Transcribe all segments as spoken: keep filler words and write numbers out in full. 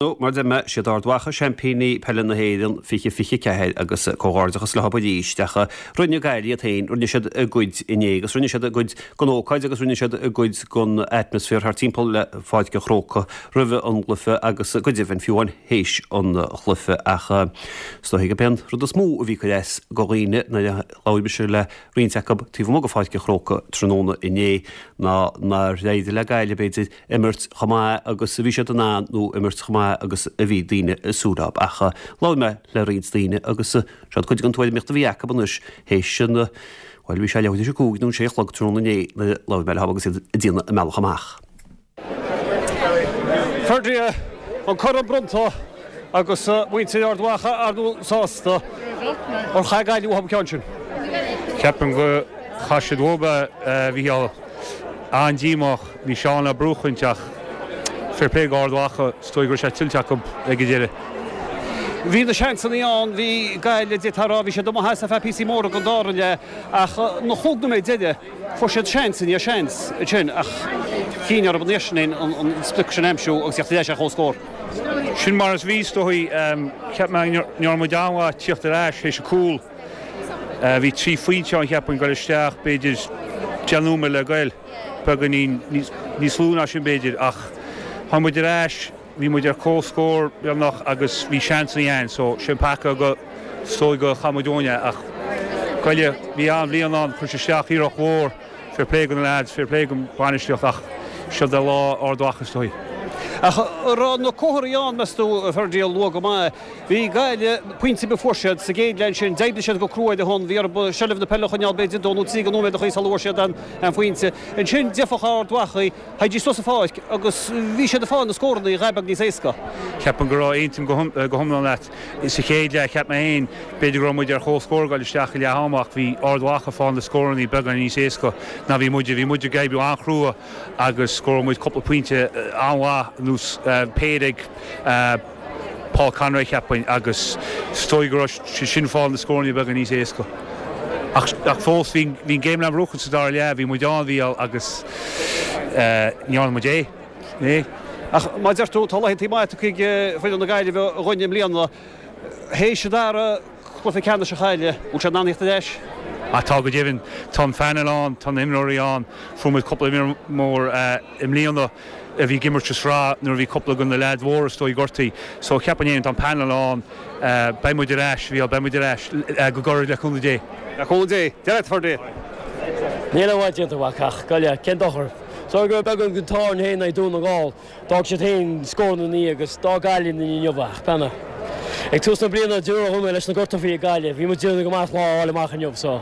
Nó, mar deir mé, siad Ard Mhacha seaimpíní peile na hÉireann fiche fiche ceathair agus comhghairdeachas leo arís ach rinne Gaillimh iad féin, rinne siad a gcuid inné agus rinne siad a gcuid den ócáid agus rinne siad a gcuid den atmaisféar thart timpeall le Pháirc an Chrócaigh roimh an gcluiche agus go deimhin fiú amháin théis an chluiche ach is dóigh gurb é an rud is mó a bhí ag cur as do dhaoine nuair a labhair mise le roinnt acu taobh amuigh de Pháirc an Chrócaigh tráthnóna inné ná nár éirigh le Gaillimh b'fhéidir imirt chomh maith agus a bhí siad in ann nó imirt chomh maith agus a bhí daoine ag súil leo. Ach labhair mé le roinnt daoine agus seo cuid den tuairimíocht a bhí acu anois théis an bhuel bhí sé leathuair tar éis a cúig nó sé a chlog tráthnóna inné nuair a labhair mé leo agus iad ag déanamh a mbealach amach. Ferdia, an corn bronnta agus muintir Ard Mhacha ar ndóigh sásta. Ar chaith Gaillimh uathu an ceann sin? Ceapaim go chaith siad uathu é, a Mhícheáil. An-díomách. Bhí Seán le buachaint ach fair play go Ard Mhacha, is dóigh go raibh sé tuillte acu ag an deireadh. Bhí na seansanna ann, bhí Gaillimh, d'fhéadfá a rá, bhí siad amuigh as ar feadh píosaí móra den dara leath ach na chúig nóiméad deiridh, fuair siad seans i ndiaidh seans ansin ach chinn orthu an iarraidh sin an sprioc sin a aimsiú agus theacht ar ais ar comhscór. Sin mar is bhí, is dóigh. Cheap mé go ndearna muid an-mhaith tíocht ar ais théis an cúl. Bhí trí phointe ann cheapfainn goil isteach, b'fhéidir deich nóiméad le goil. Beagáinín níos lú ná sin b'fhéidir ach tháinig muid ar ais, bhí muid ar comhscór beagnach agus bhí seansanna ann so sin peaca go is dóigh go chaith muid uainn é ach Gaillimh, bhí an-bhliain ann, chuir siad isteach iarracht mhór, fair play do na lads, fair play don bhainistíocht ach siod é lá Ard Mhacha is dóigh. Ach an raibh na comharthaí ann, meas tú, a Ferdia, luath go maith. Bhí Gaillimh, pointe ar bith a fuair siad sa gcéad leath ansin, d'oibrigh siad go crua ar a shon, bhí orthu seilbh na peile a choinneáil b'fhéidir dó nó trí de nóiméad a chaoi sula bhfuair siad an phointe. Ansin d'fhéadfadh Ard Mhacha, théidís suas an pháirc agus bhí siad ag fáil na scóranna a dhath beag níos éasca. Ceapaim go raibh, aontaím go hiomlán leat. Sa chéad leath, cheap mé féin, b'fhéidir go raibh muid ar chomhscór ag dul isteach i leath ama ach bhí Ard Mhacha ag fáil na scóranna beagán níos éasca ná bhí muide. Bhí muid ag oibriú an-chrua agus scóráil muid cúpla pointe an-mhaith anuas péire ag Paul Conroy cheapfainn agus is dóigh go raibh sé sin fáil na scóranna beagán níos éasca. Ach, ach fós bhí an game le buachan sa dara leath, bhí muid ann, bhí agus ní dhearna muid é. É. Ach mar a deir tú, tá laethanta maithe tugtha ag foireann na Gaillimhe dhúinn i mbliana. Théis an dara cluiche ceannais a chailleadh, bhfuil siad in ann theacht ar ais? Ah tá go deimhin. Tá an phainéal ann, tá na himreoirí ann. Fuair muid cúpla imreoir mór i mbliana a bhí ag imirt sa sraith nuair a bhí cúpla de na leaids mhóra is dóigh gortaithe. So cheapfainn féin tá an painéal ann. Beidh muid ar ais, bhí, beidh muid ar ais go gairid le cúnamh Dé. Le cúnamh Dé. Dia leat, a Ferdia. Níl aon mhaith déanta mhac ach Gaillimh, cén dochar? Só go raibh beagán den t-ádh orainn féin in aghaidh Dún na nGall. D'fhág siad féin scóranna ina ndiaidh agus d'fhág Gaillimh linn inniu ach beanna. Ag tús na bliana dúradh dom leis na gortuithe ag Gaillimh, bhí muid déanamh go maith lá a fháil amach inniu so.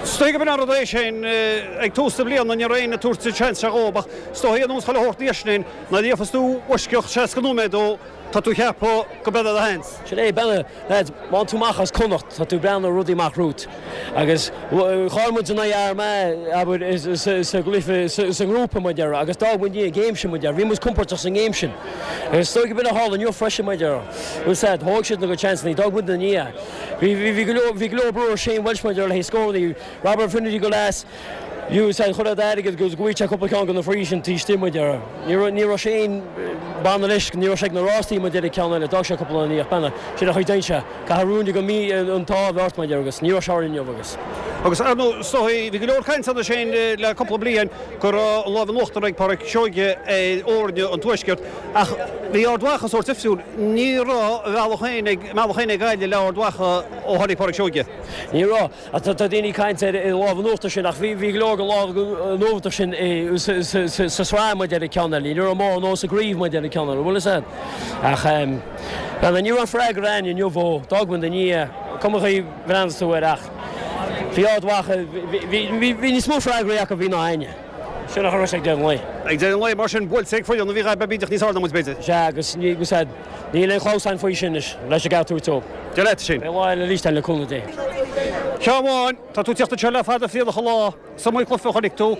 Is dóigh gurb in an rud é sin, ag tús na bliana ní raibh éinne ag tabhairt an seans seo dhóibh ach is dóigh ar nós chuile shórt anois sin nuair a gheofas tú bhfoisceacht seasca nóiméad dó tá tú ag ceapadh go mbeidh do sheans. Sin é, beanna, lads, má tú amach as Connacht, tá tú ag breathnú ar rudaí amach romhat. Agus chaill muid in aghaidh Armagh, abair, sa gcluiche, sa ngrúpa, mar a déarfá, agus d'fhág muid an game sin, mar a déarfá. Bhí muid compordach sa ngame sin. Agus is dóigh go b'in a tharla inniu freisin, mar a déarfá. Bhuel, sea, thóg siad a gcuid seansanna, d'fhág muid ina ndiaidh. Bhí, bhí, bhí go leor, bhí go leor brú ar Shane Walsh, mar a déarfá, le haghaidh scóranna. Robert Finnerty go leas. You said chuir siad airgead go bhfuil sé cúpla ceann de na frees sin taobh istigh mar a déarfá. Ní raibh ní raibh Shane banna leis ní raibh sé ag na rástaí mar a déarfá ceann eile d'fhág sé cúpla ina dhiaidh beanna sin a chuid dein sé caithfidh rúin go mí an t-ádh a bheith ort mar a déarfá agus ní raibh sé orainn inniu agus. Agus ar ndóigh is dóigh bhí go leor cainte ann Shane le cúpla bliain go raibh an lámh in uachtar ag Pádraic Seoige ar fhoirne an Tuaiscirt ach bhí Ard Mhacha sórt difriúil. Ní raibh a bhealach féin ag a mbealach féin ag Gaillimh le Ard Mhacha ó tháinig Pádraic Seoige. Ní raibh. Ach tá daoine ag caint ar an lámh in uachtar sin ach bhí go leor den lámh in uachtar sin sa sraith mar a déarfá ceann eile. Ní raibh mórán nó sa gcraobh mar a déarfá ceann eile. Bhfuil fhios a'd? Ach bhuel ní raibh freagra a'inn inniu ó d'fhág muid ina ndiaidh. Cuma chaoi a bhreathnaíos tú air ach bhí Ard Mhacha, bhí níos mó freagraí acu a bhí ná a'inne. Sin a chuir ag deireadh an lae. Ag deireadh an lae mar sin buailte ag foireann a bhí dhá bídeach níos airde ná muid b'fhéidir. Sea agus ní, bhfuil fhios a'd, níl aon chlamhsán faoi sin anois leis an gceart a thabhairt dóibh. Dia leat sin. Beidh lá eile arís ann le cúnamh Dé. Ceann amháin, tá tú ag tíocht anseo le fada thrialach an lá, is iomaí cluiche a chonaic tú.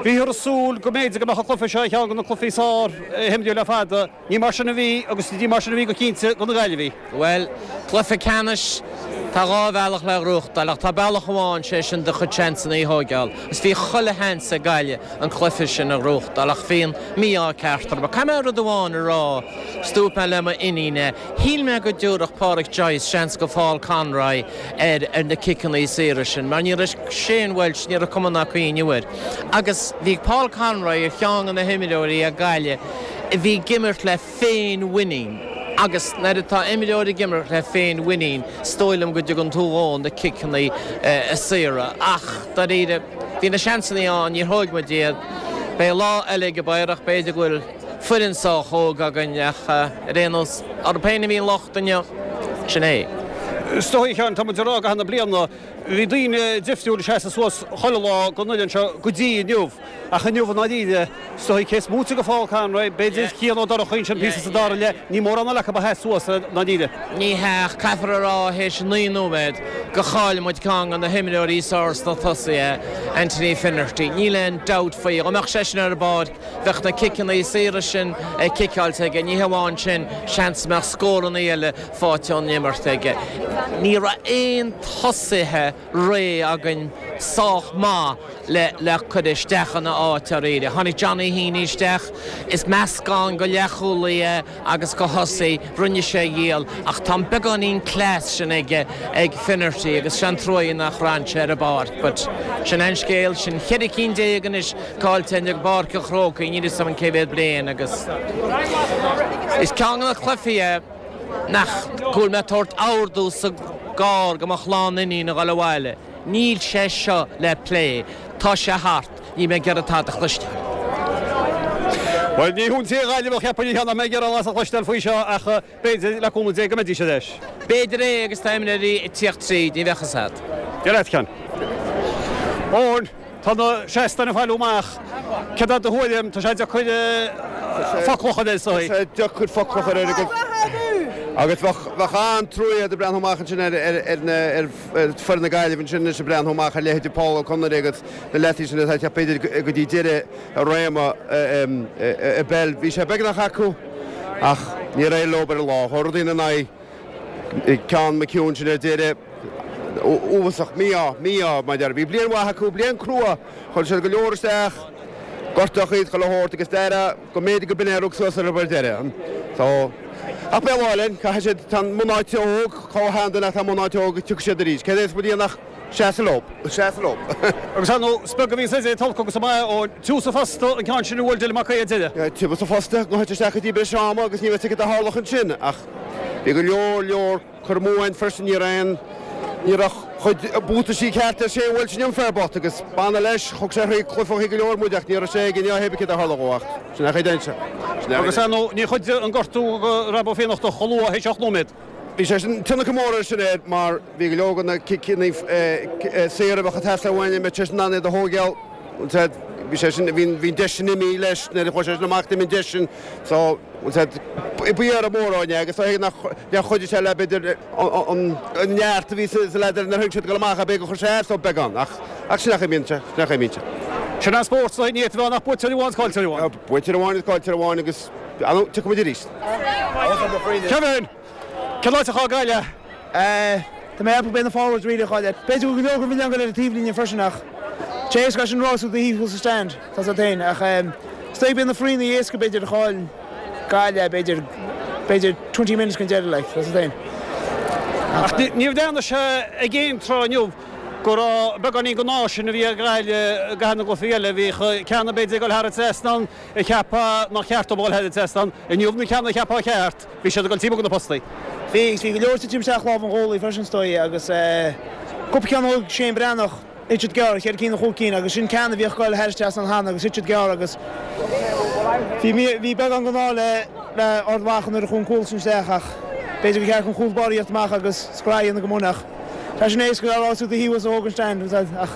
Bhíothar ag súil go mb'fhéidir go mbeadh an cluiche seo ar cheann de na cluichí is fearr a himríodh le fada. Ní mar sin a bhí agus ní mar sin a bhí go cinnte do na Gaillimhigh. Bhuel, cluiche ceannais, Tá dhá bhealach le gnóthachtáil ach tá bealach amháin sé sin do chuid seansanna a thógáil. Is bhí chuile sheans ag Gaillimh an cluiche sin a ghnóthachtáil ach bhí an mí-ádh ceart orthu. Caithfidh mé rud amháin a rá, dúirt mé le m'iníon é. Shíl mé go dtabharfadh Pádraic Joyce seans go Paul Conroy ar ar na ciceanna saora sin, mar ní raibh Shane Walsh ní raibh cuma ná cuimhne air. Agus bhí Paul Conroy ar cheann de na himreoirí ag Gaillimh a bhí ag imirt le féinmhuinín. Agus nuair atá imreoir ag imirt le féinmhuinín is dóigh liom go dtugann tú dó na ciceanna saora. Ach dáiríre bhí na seansanna ann níor thóg muid iad. Beidh lá eile ag amárach b'fhéidir go bhfuil foireann sách óg againn ach ar aon nós orthu féin a bhí an locht inniu sin é. Is dóigh a Sheáin tá muid ag rá i gcaitheamh na bliana bhí daoine difriúil ag seasamh suas chuile lá don fhoireann seo go dtí inniu. Ach inniu i ndáiríre, is dóigh cé is móite de Phaul Conroy, b'fhéidir Cian Ó Donnchadha ansin píosa sa dara leath, ní mórán eile acu a sheas suas i ndáiríre. Ní hea, caithfear a rá théis naoi nóiméad gur chaill muid ceann de na himreoirí is fearr sna tosaithe, Anthony Finnerty. Níl aon dabht faoi. Dá mbeadh seisean ar an bpáirc, bheadh na ciceanna saora sin ciceáilte aige. Ní hamháin sin, seans go mbeadh scóranna eile faighte ón imirt aige. Ní raibh aon tosaithe réidh againn sách maith le le cur isteach ina áit dáiríre. Tháinig Johnny Heaney isteach, is meascán de leathchúlaí é agus de thosaí, rinne sé a dhícheall, ach tá an beagáinín class sin aige ag Finnerty agus sin trua nach raibh sé ar an bpáirc, but sin an scéal sin ceithre cinn déag anois caillte i bPáirc an Chrócaigh, níl a fhios agam cé mhéad bliain agus is ceann de na cluichí é nach go bhfuil mé ag tabhairt ordú sa gcarr do mo chlann iníon a dhul abhaile. Níl sé seo le plé, tá sé thart, níl mé ag iarraidh tada a chloisteáil. Bhuel ní hiontaí Gaillimh a cheapann ní nach mbeidh iarraidh as a chloisteáil faoi seo ach b'fhéidir le cúnamh Dé go mbeidís ar ais. B'fhéidir é agus tá imreoirí ag tíocht tríd, ní bheadh a fhios agat. Dia leat Cian. Eoin, tá na seastáin ag fáil amach. Céard é do thuairim? Tá sé deacair focal a chur air is dóigh. Tá sé deacair focal a chur air agus agus bheadh an-trua ag breathnú amach ansin ar ar foireann na Gaillimhe ansin anois ag breathnú amach ar leithéidí Paul Ó Conaire agus na leataí sin atá ag teacht b'fhéidir go dtí deireadh a réime i bpeil. Bhí sé beagnach acu ach níor éirigh leo ar an lá. Chuir rudaí ina n-aghaidh ceann McKeown sin ar deireadh uafásach mí-ádh, mí-ádh mar deir. Bhí bliain mhaith acu, bliain crua, chuir siad go leor isteach, gortaíodh iad chuile shórt agus deireadh go mb'fhéidir go b'in é a rug suas orthu ar deireadh. So, ach beidh lá linn, caithfidh siad, tá an mbunáite óg, chomh shean ach tá an mbunáite óg, tiocfaidh siad arís. Céard é is muid nach seasamh leo, seasamh leo. Agus ar ndóigh, is beag a bhíonns idir tolg agus an maith ó tusa fosta an ceann sin a bhuail Dylan Mac Aodha deireadh. Tusa fosta, go isteach go dtí breis ama agus ní raibh ticket a tharlach ansin ach bhí go leor leor cur amú ann freisin ní raibh aon ní raibh chuid buataisí ceart ar sé bhfuil sin an fear bocht agus banna leis thug sé thrí cluiche go leor muid ach ní raibh sé ag inniu céard a tharla dhó ach sin a chuid anseo. Agus ar ndóigh ní chuid an gortú go raibh féineacht chomh luath théis ocht nóiméad. Bhí sé sin tionchar mór air sin air mar bhí go leor de na ciceanna saora a bheadh ag teastáil uainn mbeadh sé sin in ann iad a thógáil. Bhí sé sin bhí an deis sin imithe leis nuair a chuaigh sé sin amach d'imigh an deis sin so b'fhearr mór áine agus nach ndear chuidigh sé le b'fhéidir an neart a bhí sa leaid nuair a thug siad dul amach b'fhéidir gur chuir sé as dó beagán ach ach sin nach imíonn sé sin nach imíonn sé. Sin an spórt so ní bheith nach buaiteoir amháin is caillteoir amháin. Buaiteoir amháin is caillteoir amháin agus tiocfaidh muid arís. Kevin! Cén áit a chaill Gaillimh? Tá mé ag ceapadh na forwards really a chaill. B'fhéidir go leor go milleán go leor taobhlíne freisin ach Sé éasca sin rá tú taobh sa stand tá sa féin ach is dóigh na foirne éasca b'fhéidir a chaill Gaillimh b'fhéidir b'fhéidir twenty minutes chun deireadh like tá sa féin. Ach ní bhreathnaigh sé ag aon tráth inniu go raibh beagáinín den ádh sin a bhí ag Gaillimh i gcaitheamh na gcluichí eile. Bhíodh ceann b'fhéidir ag dul thar an trasnán a cheapfá nach ceart dó dul thar an trasnán. Inniu na ceanna a cheapfá ceart, bhí siad ag dul timpeall go na postaí. Bhí bhí go leor titim isteach lámh an ghólaí freisin is dóigh agus cúpla ceann a thóg Shane Breathnach thit siad gearr, cheithre cinn nó chúig cinn agus sin ceann a bhíodh ag dul thar an trasnán cheana agus thit siad gearr agus bhí bhí beagán den ádh le le Ard Mhacha nuair a chuaigh an cúl sin isteach ach b'fhéidir gur cheart an chúl báire a thíocht amach agus scraith a dhéanamh go mbun ach tá sin éasca a rá tú do thaobh os a thóg an stand ach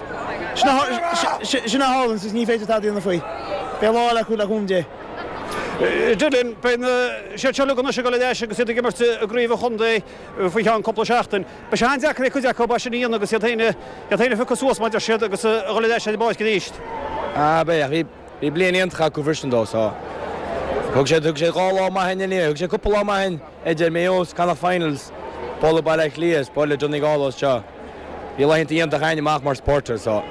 sin a tharlaíonn is ní féidir tada a dhéanamh faoi. Beidh lá eile acu le cúnamh Dé. Dylan, beidh na siad seo anois ag dul ar ais agus iad ag imirt i gcraobh an chontae faoi cheann cúpla seachtain. Beidh sé an-deacair ag cuid acu é sin a dhéanamh agus iad féin iad féin a phiocadh suas mar a deir siad agus a dhul ar ais ar an bpáirc arís. Ah beidh bhí bhí bliain iontach acu freisin dó so. Thug sé thug sé dhá lá maith inné, thug sé cúpla lá maith idir Mayo Connacht Finals. Bualadh Baile Átha Cliath is bualadh Donegal anseo. Bhí laethanta iontach againn amach mar supporters so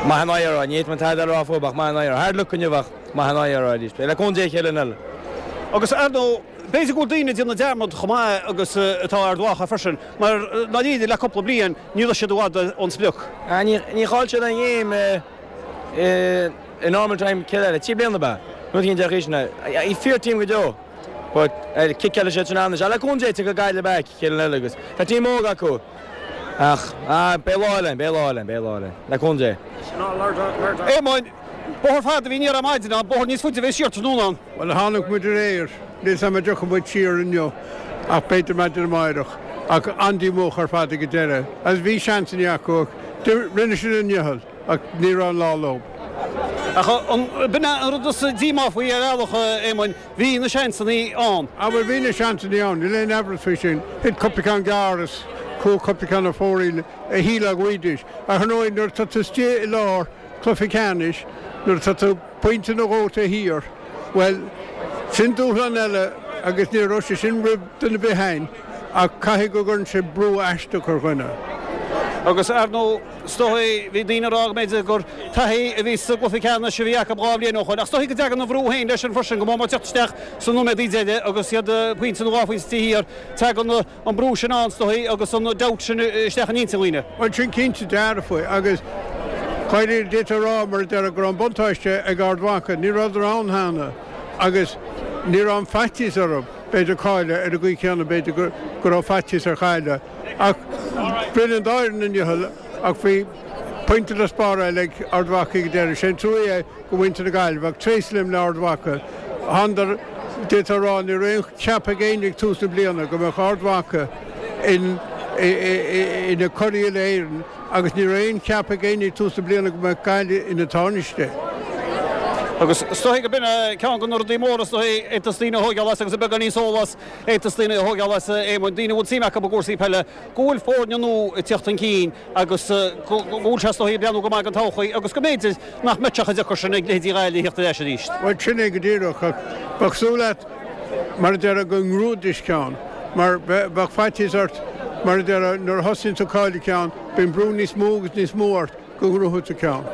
maith an obair a, ní fhéadfainn tada a rá fúthu ach maith an obair. Hard luck inniu ach maith an obair arís. Beidh le cúnamh Dé an chéad lá eile. Agus ar ndóigh, b'fhéidir go bhfuil daoine ag déanamh dearmad chomh maith agus atá Ard Mhacha freisin, mar dáiríre le cúpla bliain ní raibh siad i bhfad ón sprioc. Ní chaill siad aon ghéim i normal time céad eile, trí bliana ab ea? Rud éigin de chaoi sin. Fíor team go deo. But ciceáil siad sin anois. Le cúnamh Dé tiocfaidh Gaillimh back chéad lá eile agus tá team óg acu. Ach beidh lá eile, beidh lá eile, beidh lá eile. Le cúnamh Dé. Éamoinn, bóthar fada a bhí aniar ar maidin ann, bóthar níos faide a bheidh siar tráthnóna ann. Bhuel, tháinig muid aréir, níl 's a'm an dtiocfaidh muid siar inniu, ach b'fhéidir maidin amáireach. Ach an-díomách ar fad ag an deireadh. Agus bhí seansanna acu ach rinne siad a ndícheall ach ní raibh an lá leo. Ach b'in é an rud is díomá faoi ar bhealach, a Éamoinn, bhí na seansanna ann. Ah bhuel bhí na seansanna ann, níl aon amhras faoi sin. Thit cúpla ceann gearr is chuaigh cúpla ceann ar fóraoil a shílfeá go bhfaighidís. Ach ar ndóigh nuair atá tú istigh i lár cluiche ceannais, nuair atá tú pointe nó dhó taobh thiar, bhuel, sin dúshlán eile agus ní raibh sé sin roimh duine ar bith againn ach caithfidh go gcuireann sé brú aisteach ar dhuine. Agus ar ndóigh, is dóigh, bhí daoine ag rá go mb'fhéidir gur taithí a bhí sa gcluiche ceannais a bhí acu dhá bhliain ó shoin, ach is dóigh go dtagann an bhrú féin leis sin freisin, go mór mór teacht isteach sna nóiméadaí deiridh agus iad pointe nó dhá phointe taobh thiar, tagann an brú sin ann is dóigh agus an doubt sin isteach in intinn dhaoine. Bhuel, sin cinnte dearfa agus dáiríre d'fhéadfá a rá mar a déarfá go raibh an buntáiste ag Ard Mhacha, ní rabhadar ann cheana agus ní raibh an faitíos orthu, b'fhéidir cailleadh ar an gcaoi chéanna b'fhéidir go raibh faitíos ar chailleadh. Ach rinne an dá fhoireann a ndícheall ach bhí pointe le spáráil ag Ard Mhacha ag an deireadh. Sé an trua é do mhuintir na Gaillimhe ach tréaslaím le Ard Mhacha. Thánadar, d'fhéadfá a rá, ní raibh aon cheap ag éinne ag tús na bliana go mbeadh Ard Mhacha ina curaidh Uile-Éireann agus ní raibh aon cheap ag éinne ag tús na bliana go mbeadh Gaillimh ina tánaiste. Agus is dóigh go b'in é ceann de na rudaí móra is dóigh a fhéadfas daoine a thóigeáil as agus beagán níos eolas a fhéadfas daoine a thóigeáil as, a Éamoinn, daoine a bhfuil suim acu i gcúrsaí peile, go bhfuil foirne nua ag teacht chun cinn agus go bhfuil sé is dóigh ag breathnú go maith don todhchaí agus go mb'fhéidir nach mbeadh sé chomh deacair sin ag leithéidí Ghaillimh a theacht ar ais arís. Bhuel, sin é go díreach ach bheadh súil leat, mar a déarfá, go ngnóthóidís ceann mar bheadh faitíos ort, mar a déarfá, nuair a thosaíonn tú ag cailleadh ceann, bíonn brú níos mó agus níos mó ort. go ngnóthóidh tú ceann.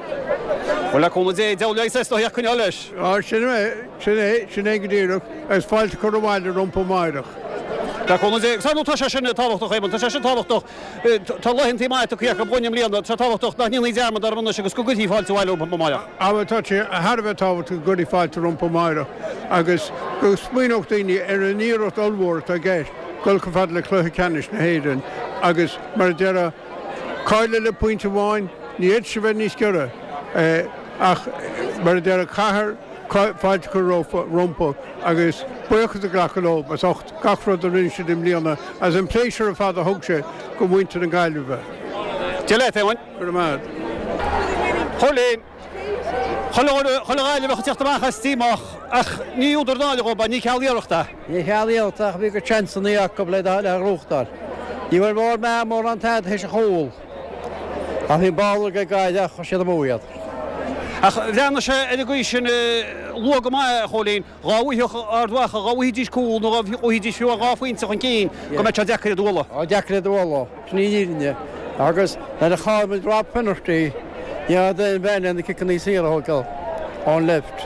Bhuel, le cúnamh Dé, deabhal leigheas é is dóigh ach coinneáil leis. Á, sin é, sin é, sin é go díreach, agus fáilte a chur abhaile rompu amáireach. Le cúnamh Dé. Agus ar ndóigh tá sé sin tábhachtach, Éamonn, tá sé sin tábhachtach. Tá laethantaí maithe tugtha acu dhúinn i mbliana, tá sé tábhachtach nach ndéanfaí dearmad orthu anois agus go gcuirfí fáilte abhaile rompu amáireach. Á, bhuel, tá sé thar a bheith tábhachtach go gcuirfí fáilte rompu amáireach agus go smaoineodh daoine ar an iarracht ollmhór atá i gceist dul chomh fada le cluiche ceannais na hÉireann agus, mar a déarfá, Cailleadh le pointe amháin, ní fhéadfadh sé bheith níos giorra, ach mar a déarfá caithfear fáilte a chur rompu agus buíochas a ghlacadh leo as ucht gach rud a rinne siad i mbliana agus an pléisiúr ar fad a thug sé do mhuintir na Gaillimhe. Dia leat, a Éamoinn. Go raibh maith agat. Chóilín. Chuile Ghaillimheach ag teacht amach as díomách ach ní údar náire dhóibh é, ní ceal iarrachta. Ní cheal iarrachta ach bhí a gcuid seansanna acu le le gnóthachtáil. Ní bhfuair mór meá mórán tada théis an chúl. Ach bhí an ball ag Gaillimh ach chuir siad amú iad. Ach bhreathnaigh sé ar an gcaoi sin luath go maith, a Chóilín, dhá bhfaigheadh Ard Mhacha, dhá bhfaighidís cúl nó dhá bhfaighidís fiú dhá phointe chun cinn, go mbeadh sé deacair iad a bhualadh. Á, deacair iad a bhualadh, sin í an fhírinne. Agus nuair a chaill muid Rob Finnerty, ní raibh aon bhean le na ciceanna saora a thógáil ón left.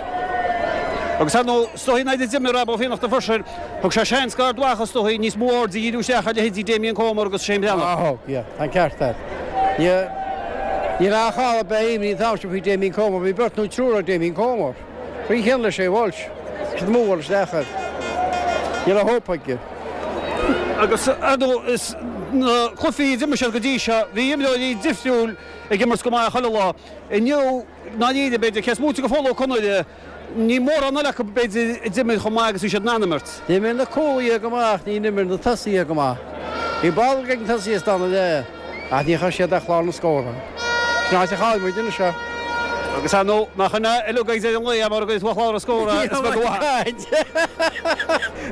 Agus ar ndóigh, is dóigh nuair a d'imigh Rob Ó Fiannachta freisin, thug sé seans d'Ard Mhacha is dóigh níos mó aird a dhíriú isteach ar leithéidí Damien Comer agus Shane Breathnach. Á thug, yeah, tá an ceart agat. Ní, ní raibh chall ar bith imní an t-am sin faoi Damien Comer, bhí beirt nó triúr ar Damien Comer. Faoi cheann le Shay Walsh, bhí siad amú isteach air. Ní raibh hope aige. Agus ar ndóigh, is na cluichí a d'imir siad go dtí seo, bhí imreoirí difriúil ag imirt go maith chuile lá. Inniu, ndáiríre, b'fhéidir, cé is móite de Phól Ó Conaire, ní mórán eile acu, b'fhéidir, a d'imir chomh maith agus bhí siad in ann imirt. D'imir na cúlaithe go maith ach níor imir na tosaithe go maith. Bhí ball ag na tosaithe sa dara leath ach níor chuir siad ar chlár na scórtha. Sin áit a chaill muid anois seo. Agus ar ndóigh, nach in é uilig ag deireadh an lae mura gcuirfidh tú ar chlár na scórtha, is beag an mhaith.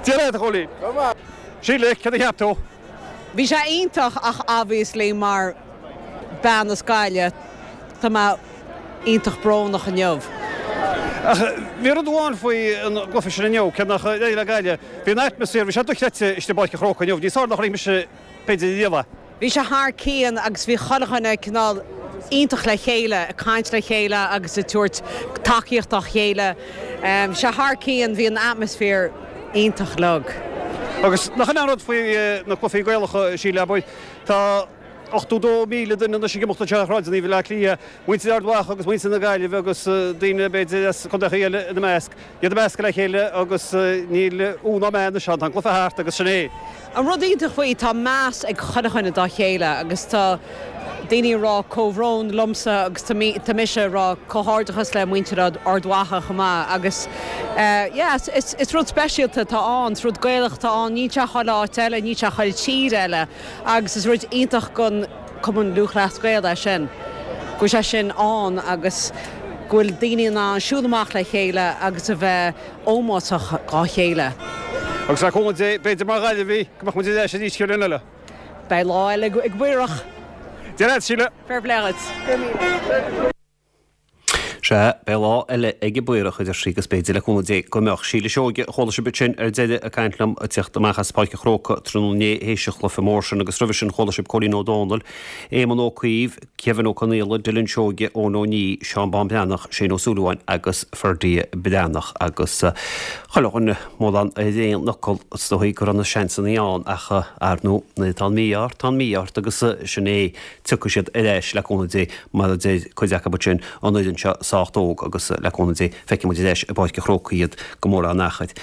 Dia leat, a Chóilín. Síle, céard a cheap tú? Bhí sé iontach ach obviously mar bean as Gaillimh tá mé iontach brónach inniu. Ach bhí rud amháin faoi an gcluiche sin inniu, cé nach éirigh le Gaillimh, bhí an atmaisféar, bhí sé dochreidte istigh i bPáirc an Chrócaigh inniu, níos fearr ná a chonaic mise b'fhéidir riamh é. Bhí sé thar cionn agus bhí chuile dhuine cineál iontach le chéile, ag caint le chéile agus ag tabhairt tacaíocht dá chéile. Bhí sé thar cionn, bhí an atmaisféar iontach lag. Agus nach in an rud faoi na cluichí Gaelacha, Síle, abair, tá ochtó dó míle duine anois ag imeacht anseo ar shráideanna Bhaile Átha Cliath, muintir Ard Mhacha agus muintir na Gaillimhe agus daoine b'fhéidir as contaetha eile ina measc, iad ag meascadh le chéile agus níl ú ná meá anois ann, tá an cluiche thart agus sin é. An rud iontach faoi, tá meas ag chuile dhuine dá chéile agus tá daoine ag rá comhbhrón liomsa agus tá mise ag rá comhghairdeachas le muintir Ard Mhacha chomh maith agus yeah is is rud speisialta atá ann, is rud Gaelach atá ann, níl sé chuile áit eile, níl sé chuile tír eile agus is rud iontach don Cumann Lúthchleas Gael é sin, go bhfuil sé sin ann agus go bhfuil daoine in ann siúl amach le chéile agus a bheith ómósach dá chéile. Agus le cúnamh Dé, b'fhéidir mar Ghaillimhigh, go mbeadh muid ar ais arís bliain eile. Beidh lá eile ag an bPaorach. Dia leat, Síle. Fair play duit. Sea, beidh lá eile ag an bPaorach, a deir sí, agus b'fhéidir, le cúnamh Dé, go mbeadh. Síle Seoige, a chuala sibh ansin ar deireadh ag caint liom ag teacht amach as Páirc an Chrócaigh tráthnóna inné théis an chluiche mór sin agus roimhe sin chuala sibh Cóilín Ó Dónaill, Éamonn Ó Cuív, Kevin Ó Conaola, Dylan Seoige, Eoin Ó Ní, Seán Bán Breathnach, Shane Ó Súilleabháin agus Ferdia Breathnach agus chuile dhuine mórán ar aon fhocal is dóigh go raibh na seansanna ann ach ar ndóigh nuair atá an mí-ádh ort tá an mí-ádh ort agus sin é tiocfaidh siad ar ais le cúnamh Dé mar a deir cuid acu ansin an fhoireann seo sách óg agus le cúnamh Dé feicfidh muid ar ais i bPáirc an Chrócaigh iad go mór an achair.